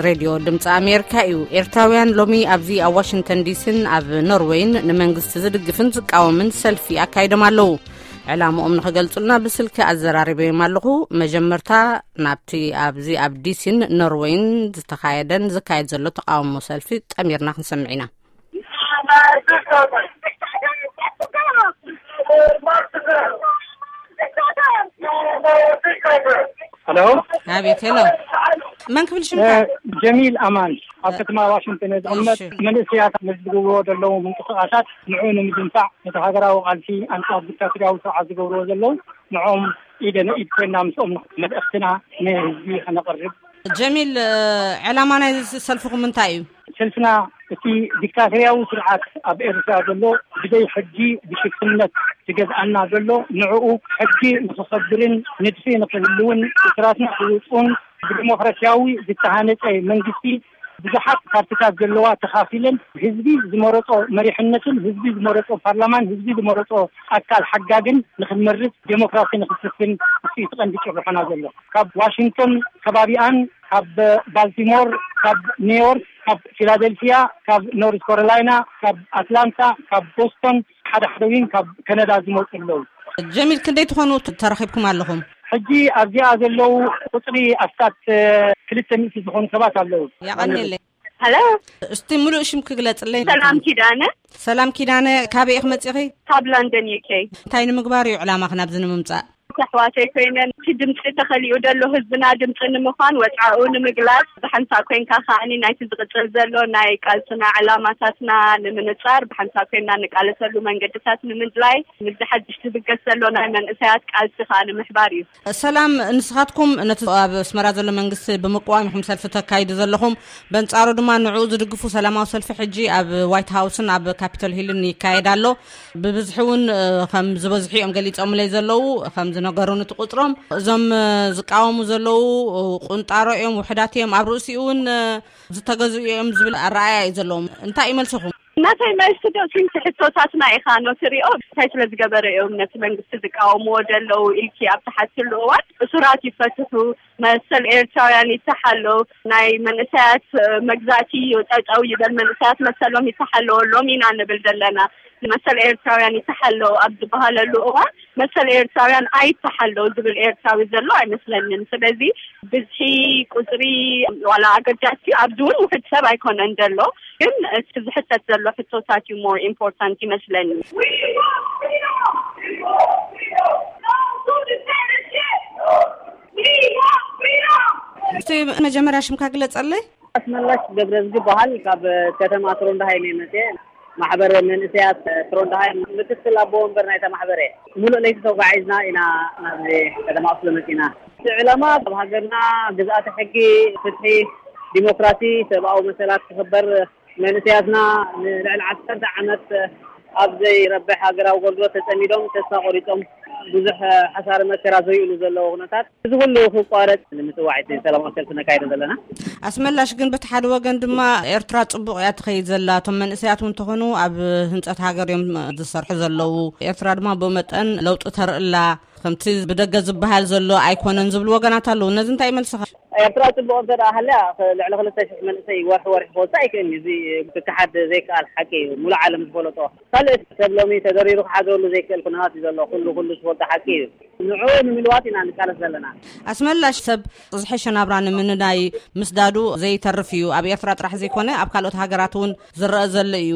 ሬድዮ ድምፂ ኣሜሪካ እዩ። ኤርትራውያን ሎሚ ኣብዚ ኣብ ዋሽንግተን ዲሲን ኣብ ኖርዌይን ንመንግስቲ ዝድግፍን ዝቃወምን ሰልፊ ኣካይዶም ኣለዉ። ዕላምኦም ንኽገልጹልና ብስልኪ ኣዘራሪበዮም ኣለኹ። መጀመርታ ናብቲ ኣብዚ ኣብ ዲሲን ኖርዌይን ዝተኻየደን ዝካየድ ዘሎ ተቃውሞ ሰልፊ ጠሚርና ክንሰምዕ ኢና። ሄሎ። ኣቤት፣ ሄሎ። መን ክብል ሽምካ? ጀሚል ኣማን፣ ኣብ ከተማ ዋሽንግተን ዝቕመጥ። እሺ። መንእሰያት ነዚ ዝገብርዎ ዘለዉ ምንቅስቃሳት ንዑ ንምድንፋዕ፣ ነቲ ሃገራዊ ቃልሲ ኣንጻር ዲክታቶርያዊ ስርዓት ዝገብርዎ ዘለዉ ንዕኦም ኢደ ንኢድ ኮይና ምስኦም መልእኽትና ንህዝቢ ከነቕርብ። ጀሚል፣ ዕላማ ናይ ሰልፍኹም እንታይ እዩ? ሰልፍና እቲ ዲክታቶርያዊ ስርዓት ኣብ ኤርትራ ዘሎ ብዘይ ሕጊ ብሽፍትነት ዝገዝኣና ዘሎ ንዕኡ ሕጊ ንኽኸብርን ንድፊ ንኽህልውን እሱራትና ክውፅኡን ብዲሞክራሲያዊ ዝተሃነፀ መንግስቲ ብዙሓት ፓርቲታት ዘለዋ ተኻፊለን ህዝቢ ዝመረፆ መሪሕነትን ህዝቢ ዝመረፆ ፓርላማን ህዝቢ ዝመረፆ ኣካል ሓጋግን ንኽንመርፅ ዴሞክራሲ ንኽስፍን እሱ እዩ እቲ ቀንዲ ጭርሖና ዘሎ። ካብ ዋሽንግቶን ከባቢኣን ካብ ባልቲሞር፣ ካብ ኒውዮርክ፣ ካብ ፊላደልፊያ፣ ካብ ኖርዝ ካሮላይና፣ ካብ ኣትላንታ፣ ካብ ቦስቶን፣ ሓደ ሓደ እውን ካብ ከነዳ ዝመፁ ኣለዉ። ጀሚል፣ ክንደይ ትኾኑ ተረኺብኩም ኣለኹም? ሕጂ ኣብዚኣ ዘለዉ ቁፅሪ ኣስታት ክልተ ሚእቲ ዝኾኑ ሰባት ኣለዉ። ያቐንየለይ። ሄሎ። እስቲ ሙሉእ ሽም ክግለጽለይ። ሰላም ኪዳነ። ሰላም ኪዳነ፣ ካበይ ኢኺ መጺኺ? ካብ ሎንደን፣ ዩ ኬ። እንታይ ንምግባር እዩ ዕላማኺ ናብዚ ንምምጻእ? ኣሕዋተይ ኮይነን፣ እቲ ድምፂ ተኸሊኡ ዘሎ ህዝብና ድምፂ ንምዃን፣ ወፅዓኡ ንምግላፅ፣ ብሓንሳእ ኮይንካ ከዓኒ ናይቲ ዝቕፅል ዘሎ ናይ ቃልስና ዕላማታትና ንምንፃር ብሓንሳእ ኮይንና ንቃለሰሉ መንገድታት ንምድላይ፣ ምስዚ ሓድሽ ዝብገስ ዘሎ ናይ መንእሰያት ቃልሲ ከዓ ንምሕባር እዩ። ሰላም፣ ንስኻትኩም ነቲ ኣብ ኣስመራ ዘሎ መንግስቲ ብምቅዋም ኢኹም ሰልፊ ተካይዱ ዘለኹም። በንጻሩ ድማ ንዕኡ ዝድግፉ ሰላማዊ ሰልፊ ሕጂ ኣብ ዋይት ሃውስን ኣብ ካፒቶል ሂልን ይካየድ ኣሎ። ብብዝሒ እውን፣ እ፣ ከም ዝበዝሑ እዮም ገሊጾምለይ ዘለዉ፣ ከም ዝነገሩኒ እቲ ቁጽሮም። እዞም፣ እ፣ ዝቃወሙ ዘለዉ፣ እ፣ ቁንጣሮ እዮም፣ ውሑዳት እዮም፣ ኣብ ርእሲኡ እውን፣ እ፣ ዝተገዝኡ እዮም ዝብል ኣረኣእያ እዩ ዘለዎም። እንታይ እዩ መልስኹም? ናተይ መልሲ ዶ እቲ ሕቶታትና ኢኻ ኖ ትሪኦ? እንታይ ስለ ዝገበረ እዮም ነቲ መንግስቲ ዝቃወምዎ ዘለዉ ኢልኪ ኣብ ትሓትሉ እዋን፣ እሱራት ይፈትሑ፣ መሰል ኤርትራውያን ይተሓሎ፣ ናይ መንእሰያት፣ እ፣ መግዛእቲ ጠጠው ይበል፣ መንእሰያት መሰሎም ይተሓሎ፣ ሎም ኢና ንብል ዘለና። መሰል ኤርትራውያን ይተሓሎ ኣብ ዝበሃለሉ እዋን መሰል ኤርትራውያን ኣይተሓሎ ዝብል ኤርትራዊ ዘሎ ኣይመስለንን። ስለዚ ብዝሒ ቁፅሪ ዋላ ኣገዳሲ ኣብዚ እውን ውሕድ ሰብ ኣይኮነን ዘሎ፣ ግን እቲ ዝሕተት ዘሎ ሕቶታት እዩ more important ይመስለኒ። እስቲ መጀመርያ ሽምካ ግለጸለይ። ኣስመላሽ ገብረዝጊ ይበሃል። ካብ ከተማ ትሮንዳሃይም እየ መፅየ። ማሕበር መንእሰያት ትሮንዳሃይም ምክትል ኣቦ ወንበር ናይታ ማሕበር እየ። ሙሉእ ለይቲ ተጓዒዝና ኢና ናብ ከተማ ኦስሎ መፂና። እቲ ዕላማ ኣብ ሃገርና ግዝኣተ ሕጊ፣ ፍትሒ፣ ዲሞክራሲ፣ ሰብኣዊ መሰላት ክኽበር፣ መንእሰያትና ንልዕሊ ዓሰርተ ዓመት ኣብ ዘይረብሕ ሃገራዊ ኣገልግሎት ተጸሚዶም ተስፋ ቆሪጾም ብዙሕ ሓሳረ መከራ ዘርእሉ ዘለዉ ኩነታት እዚ ኩሉ ክቋረጽ ንምጽዋዕ እቲ ሰላማዊ ሰልፊ ነካይዶ ዘለና። ኣስመላሽ ግን በቲ ሓደ ወገን ድማ ኤርትራ ጽቡቕ እያ ትኸይድ ዘላ። እቶም መንእሰያት እውን እንተኾኑ ኣብ ህንጸት ሃገር እዮም ዝሰርሑ ዘለዉ። ኤርትራ ድማ ብኡ መጠን ለውጢ ተርእላ። ከምቲ ብደገ ዝበሃል ዘሎ ኣይኮነን ዝብሉ ወገናት ኣለዉ። ነዚ እንታይ ይመልስኻ? ኤርትራ ጽቡቕ እንተ ደኣ ሃልያ፣ ልዕሊ ክልተ ሽሕ መንእሰይ ወርሒ ወርሒ ክወጽእ ኣይክእልን እዩ። እዚ ክከሓድ ዘይከኣል ሓቂ እዩ። ሙሉእ ዓለም ዝፈለጦ። ካልእ ሰብ ሎሚ ተደሪሩ ክሓድረሉ ዘይክእል ኩነታት እዩ ዘሎ። ኩሉ ኩሉ ዝፈልጦ ሓቂ እዩ። ንዕኡ ንምልዋጥ ኢና ንቃለስ ዘለና። ኣስመላሽ ሰብ ዝሐሸ ናብራ ንምንዳይ ምስዳዱ ዘይተርፍ እዩ። ኣብ ኤርትራ ጥራሕ ዘይኮነ ኣብ ካልኦት ሃገራት እውን ዝረአ ዘሎ እዩ።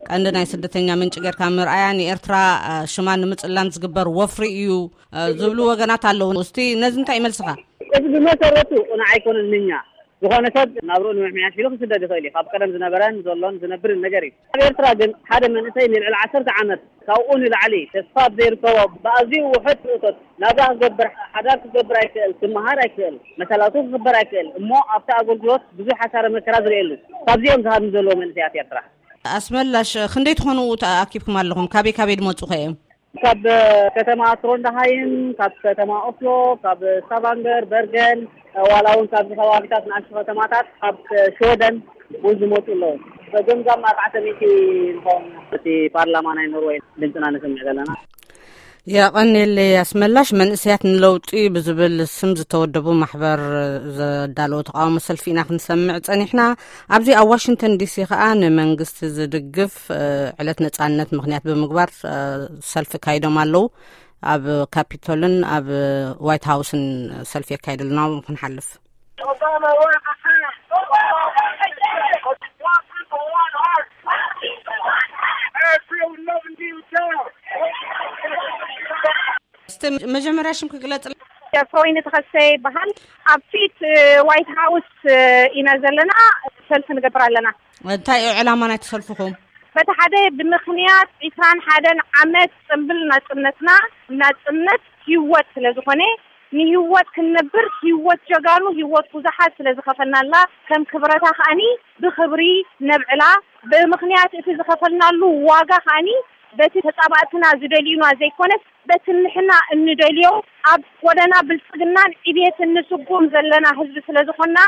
ቀንዲ ናይ ስደተኛ ምንጪ ጌርካ ምርኣያ ንኤርትራ፣ እ፣ ሽማ ንምጽላም ዝግበር ወፍሪ እዩ፣ እ፣ ዝብሉ ወገናት ኣለዉ። እስቲ ነዚ እንታይ ይመልስኻ? እዚ ብመሰረቱ ቅኑዕ ኣይኮነን። ንኛ ዝኾነ ሰብ ናብርኡ ንምምሕያሽ ኢሉ ክስደድ ይኽእል እዩ። ካብ ቀደም ዝነበረን ዘሎን ዝነብርን ነገር እዩ። ኣብ ኤርትራ ግን ሓደ መንእሰይ ንልዕሊ ዓሰርተ ዓመት ካብኡ ንላዕሊ ተስፋ ኣብ ዘይርከቦ ብኣዝዩ ውሑድ እቶት ናብራ ክገብር፣ ሓዳር ክገብር ኣይክእል፣ ክመሃር ኣይክእል፣ መሰላቱ ክኽበር ኣይክእል፣ እሞ ኣብቲ ኣገልግሎት ብዙሕ ሓሳረ መከራ ዝርእየሉ። ካብዚኦም ዝሃብኒ ዘለዉ መንእሰያት ኤርትራ። ኣስመላሽ፣ ክንደይ ትኾኑ ተኣኪብኩም ኣለኹም? ካበይ ካበይ ድመጹ ከ እዮም? ካብ ከተማ ትሮንዳሃይም፣ ካብ ከተማ ኦስሎ፣ ካብ ስታቫንገር፣ በርገን፣ ዋላ እውን ካብዚ ከባቢታት ንኣሽቱ ከተማታት፣ ካብ ሽወደን እውን ዝመፁ ኣለዉ። በገምጋም ኣርባዕተ ሚእቲ ንኸውን እቲ ፓርላማ ናይ ኖርወይ ድምፅና ንስምዕ ዘለና። የቐንየለይ ኣስመላሽ። መንእሰያት ንለውጢ ብዝብል ስም ዝተወደቡ ማሕበር ዘዳለዎ ተቃውሞ ሰልፊ ኢና ክንሰምዕ ጸኒሕና። ኣብዚ ኣብ ዋሽንግተን ዲሲ ከኣ ንመንግስቲ ዝድግፍ፣ እ፣ ዕለት ነጻነት ምኽንያት ብምግባር፣ እ፣ ሰልፊ ካይዶም ኣለዉ። ኣብ ካፒቶልን ኣብ ዋይት ሃውስን ሰልፊ የካይዱ ኣለዉ። ናብኦም ክንሓልፍ። Obama wants to see. Obama wants to see. Black people want art. Black people want art. Every love in you down. እስቲ መጀመርያ ሽም ክግለጽ። ፍሮይኒ ተኸሰ ይበሃል። ኣብ ፊት፣ እ፣ ዋይት ሃውስ፣ እ፣ ኢና ዘለና፣ ሰልፊ ንገብር ኣለና። እንታይ እዩ ዕላማ ናይቲ ሰልፍኹም? በቲ ሓደ ብምኽንያት ዕስራን ሓደን ዓመት ጽምብል ናጽነትና፣ ናጽነት ህይወት ስለ ዝኾነ፣ ንህይወት ክንነብር፣ ህይወት ጀጋኑ፣ ህይወት ብዙሓት ስለ ዝኸፈልናላ፣ ከም ክብረታ ከኣኒ ብኽብሪ ነብዕላ። ብምኽንያት እቲ ዝኸፈልናሉ ዋጋ ከኣኒ በቲ ተጻባእትና ዝደልዩና ዘይኮነስ፣ በቲ ንሕና እንደልዮ ኣብ ጎደና ብልጽግናን ዕብየትን ንስጉም ዘለና ህዝቢ ስለ ዝኾንና፣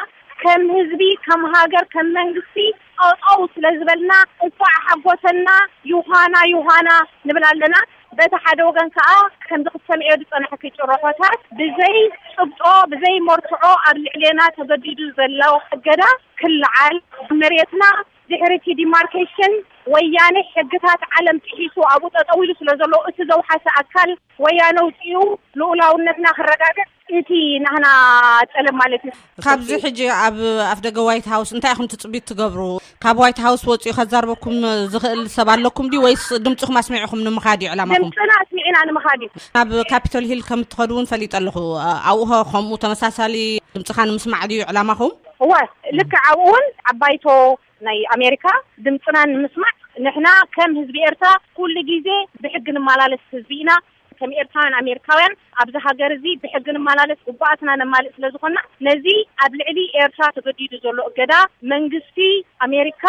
ከም ህዝቢ፣ ከም ሃገር፣ ከም መንግስቲ ጠጠው ስለ ዝበልና፣ እንኳዕ ሓጎሰና፣ ዮሃና፣ ዮሃና ንብል ኣለና። በቲ ሓደ ወገን ከኣ፣ ከምዚ ክትሰምዕዮ ዝጸናሕኪ ጭርሖታት፣ ብዘይ ጭብጦ፣ ብዘይ መርትዖ ኣብ ልዕሌና ተገዲዱ ዘሎ እገዳ ክለዓል፣ መሬትና ድሕሪ እቲ ዲማርኬሽን ወያነ ሕግታት ዓለም ጥሒሱ ኣብኡ ጠጠው ኢሉ ስለ ዘሎ፣ እቲ ዘውሓሰ ኣካል ወያነ ውፅኡ ልኡላውነትና ክረጋገጽ፣ እቲ ናህና ጠለብ ማለት እዩ። ካብዚ ሕጂ ኣብ ኣፍደገ ዋይት ሃውስ እንታይ ኢኹም ትጽቢት ትገብሩ? ካብ ዋይት ሃውስ ወጺኡ ከዛርበኩም ዝኽእል ሰብ ኣለኩም ድዩ፣ ወይስ ድምጽኹም ኣስሚዕኹም ንምኻድ እዩ ዕላማኹም? ድምጽና ኣስሚዕና ንምኻድ እዩ። ናብ ካፒቶል ሂል ከም እትኸዱ እውን ፈሊጠ ኣለኹ። ኣብኡ ኸ ከምኡ ተመሳሳሊ ድምጽኻ ንምስማዕ ድዩ ዕላማኹም? እወ፣ ልክዕ ኣብኡ እውን ዓባይቶ ናይ ኣሜሪካ ድምጽና ንምስማዕ፣ ንሕና ከም ህዝቢ ኤርትራ ኩሉ ግዜ ብሕጊ ንመላለስ ህዝቢ ኢና። ከም ኤርትራውያን ኣሜሪካውያን ኣብዚ ሃገር እዚ ብሕጊ ንመላለስ፣ ግቡኣትና ነማልእ ስለ ዝኾንና፣ ነዚ ኣብ ልዕሊ ኤርትራ ተገዲዱ ዘሎ እገዳ መንግስቲ ኣሜሪካ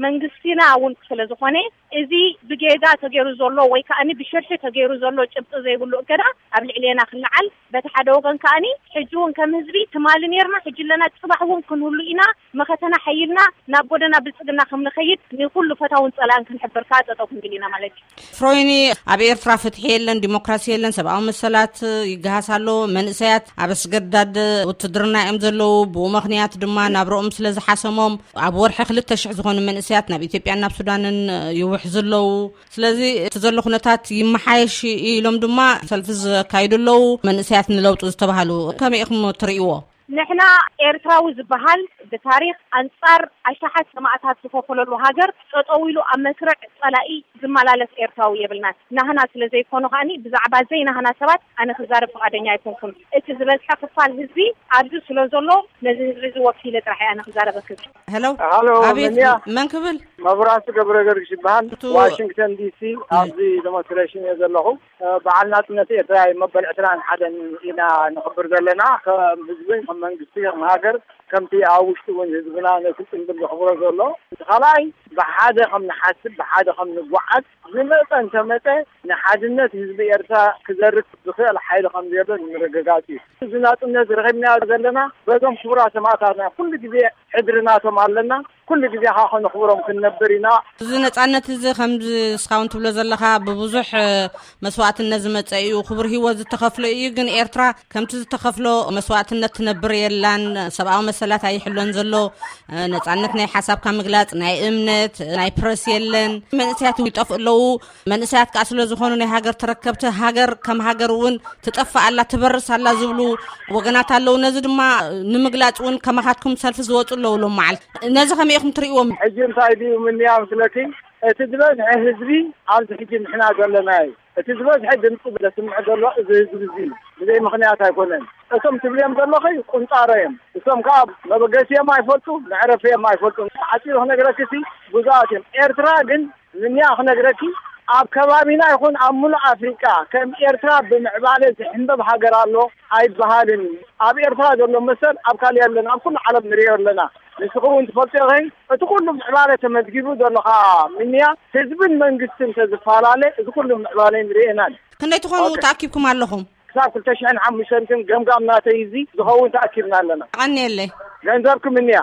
መንግስቲና እውን ስለ ዝኾነ፣ እዚ ብጌጋ ተገይሩ ዘሎ ወይ ከኣኒ ብሽርሒ ተገይሩ ዘሎ ጭብጢ ዘይብሉ እገዳ ኣብ ልዕሌና ክለዓል፣ በቲ ሓደ ወገን ከኣኒ ሕጂ እውን ከም ህዝቢ ትማሊ ነርና፣ ሕጂ ኣለና፣ ጽባሕ እውን ክንህሉ ኢና። መኸተና ሓይልና ናብ ጎደና ብልጽግና ከም ንኸይድ ንኹሉ ፈታውን ጸላእን ክንሕብር ከኣ ጠጠው ክንብል ኢና ማለት እዩ። ፍሮይኒ፣ ኣብ ኤርትራ ፍትሒ የለን፣ ዲሞክራሲ የለን፣ ሰብኣዊ መሰላት ይገሃስ ኣሎ። መንእሰያት ኣብ ኣስገዳድ ውትድርና እዮም ዘለዉ። ብኡ ምኽንያት ድማ ናብረኦም ስለ ዝሓሰሞም፣ ኣብ ወርሒ ክልተ ሽሕ ዝኾኑ መንእሰያት ናብ ኢትዮጵያን ናብ ሱዳንን ይውሕዙ ኣለዉ። ስለዚ እቲ ዘሎ ኩነታት ይመሓየሽ ኢሎም ድማ ሰልፊ ዘካይዱ ኣለዉ። መንእሰያት ንለውጢ ዝተባህሉ ከመይ ኢኹም ትርእይዎ? ንሕና ኤርትራዊ ዝበሃል ብታሪኽ ኣንጻር ኣሽሓት ሰማእታት ዝኸፈለሉ ሃገር ጠጠው ኢሉ ኣብ መስርዕ ጸላኢ ዝመላለስ ኤርትራዊ የብልናን። ናህና ስለ ዘይኮኑ ከኣኒ ብዛዕባ ዘይናህና ሰባት ኣነ ክዛረብ ፍቓደኛ ኣይኮንኩን። እቲ ዝበዝሐ ክፋል ህዝቢ ኣብዚ ስለ ዘሎ ነዚ ህዝቢ እዚ ወኪለ ጥራሕ እየ ኣነ ክዛረበክን። ሄሎ፣ ሃሎ፣ ኣቤት፣ መን እያ? መን ክብል? መብራህቱ ገብረ ገርግሽ ይበሃል። እቱ ዋሽንግተን ዲሲ ኣብዚ ዴሞንስትሬሽን እየ ዘለኹ። በዓል ናጽነት ኤርትራ መበል ዕስራን ሓደን ኢና ንኽብር ዘለና። ከም ህዝብን ከም መንግስቲ፣ ከም ሃገር፣ ከምቲ ኣብ ውሽጢ እውን ህዝብና ነቲ ጽምብል ዝኽብሮ ዘሎ። እቲ ካልኣይ፣ ብሓደ ከም ንሓስብ፣ ብሓደ ከም ንጓዓዝ፣ ዝመጸ እንተመጸ ንሓድነት ህዝቢ ኤርትራ ክዘርግ ዝኽእል ሓይሊ ከም ዘየሎ ንምርግጋጽ እዩ። እዚ ናጽነት ረኺብናዮ ዘለና በዞም ክቡራት ሰማእታትና ኩሉ ግዜ ሕድሪ ናቶም ኣለና። ኩሉ ግዜ ኸዓ ከነኽብሮም ክንነብር ኢና። እዚ ነጻነት እዚ ከምዚ እስኻ እውን ትብሎ ዘለኻ ብብዙሕ፣ እ፣ መስዋእትነት ዝመጸ እዩ፣ ክቡር ህይወት ዝተኸፍሎ እዩ። ግን ኤርትራ ከምቲ ዝተኸፍሎ መስዋእትነት ትነብር የላን። ሰብኣዊ መሰላት ኣይሕሎን ዘሎ። እ፣ ነጻነት ናይ ሓሳብካ ምግላጽ፣ ናይ እምነት፣ ናይ ፕረስ የለን። መንእሰያት ይጠፍኡ ኣለዉ። መንእሰያት ከኣ ስለ ዝኾኑ ናይ ሃገር ተረከብቲ፣ ሃገር ከም ሃገር እውን ትጠፍእ ኣላ፣ ትበርስ ኣላ ዝብሉ ወገናት ኣለዉ። ነዚ ድማ ንምግላጽ እውን ከማኻትኩም ሰልፊ ዝወጹ ኣለዉ ሎም መዓልቲ። ነዚ ከመይ ኢኹም ትርእይዎም? ሕጂ እንታይ ድዩ ምንያ ምስለኪ፣ እቲ ዝበዝሐ ህዝቢ ኣብዚ ሕጂ ንሕና ዘለናዮ፣ እቲ ዝበዝሐ ድምፂ ዘስምዕ ዘሎ እዚ ህዝቢ እዚ ብዘይ ምኽንያት ኣይኮነን። እቶም ትብልዮም ዘለኺ ቁንጣሮ እዮም። እቶም ከዓ መበገሲኦም ኣይፈልጡ፣ መዕረፊኦም ኣይፈልጡ። ዓፂሩ ክነግረኪ ሲ ብዙኣት እዮም። ኤርትራ ግን ምንያ ክነግረኪ፣ ኣብ ከባቢና ይኹን ኣብ ሙሉእ ኣፍሪቃ ከም ኤርትራ ብምዕባለ ዝሕንበብ ሃገር ኣሎ ኣይበሃልን እዩ። ኣብ ኤርትራ ዘሎ መሰል ኣብ ካልእ የለን፣ ኣብ ኩሉ ዓለም ንሪኦ ኣለና። ንስኺ እውን ትፈልጥዮ ኢኺ፣ እቲ ኩሉ ምዕባለ ተመዝጊቡ ዘሎ ኸዓ ምንያ ህዝብን መንግስትን ተዝፈላለ እዚ ኩሉ ምዕባለ ንሪኦ ኢናን። ክንደይ ትኾኑ ኦኬ። ተኣኪብኩም ኣለኹም? ክሳብ ክልተ ሽሕን ሓሙሽተን ግን ገምጋም ናተይ እዚ ዝኸውን ተኣኪብና ኣለና። ቀንየለይ። ገንዘብኩም እንያ።